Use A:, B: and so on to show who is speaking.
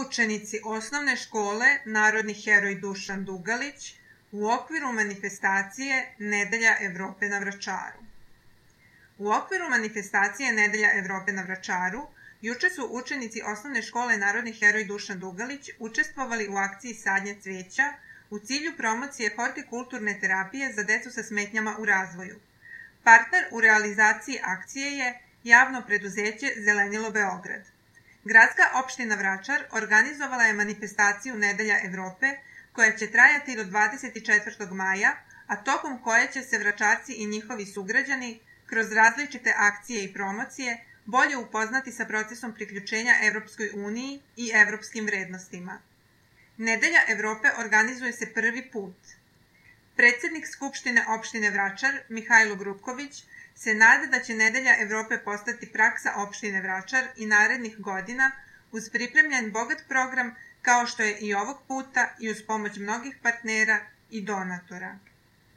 A: učenici osnovne škole Narodni heroj Dušan Dugalić u okviru manifestacije Nedelja Evrope na Vračaru. U okviru manifestacije Nedelja Evrope na Vračaru juče su učenici osnovne škole Narodni heroj Dušan Dugalić učestvovali u akciji sadnje cveća u cilju promocije hortikulturne terapije za decu sa smetnjama u razvoju. Partner u realizaciji akcije je javno preduzeće Zelenilo Beograd. Gradska opština Vračar organizovala je manifestaciju Nedelja Evrope koja će trajati do 24. maja, a tokom koje će se Vračarci i njihovi sugrađani kroz različite akcije i promocije bolje upoznati sa procesom priključenja Evropskoj uniji i evropskim vrednostima. Nedelja Evrope organizuje se prvi put. Predsednik Skupštine opštine Vračar, Mihajlo Grupković, se nada da će Nedelja Evrope postati praksa opštine Vračar i narednih godina uz pripremljen bogat program kao što je i ovog puta i uz pomoć mnogih partnera i donatora.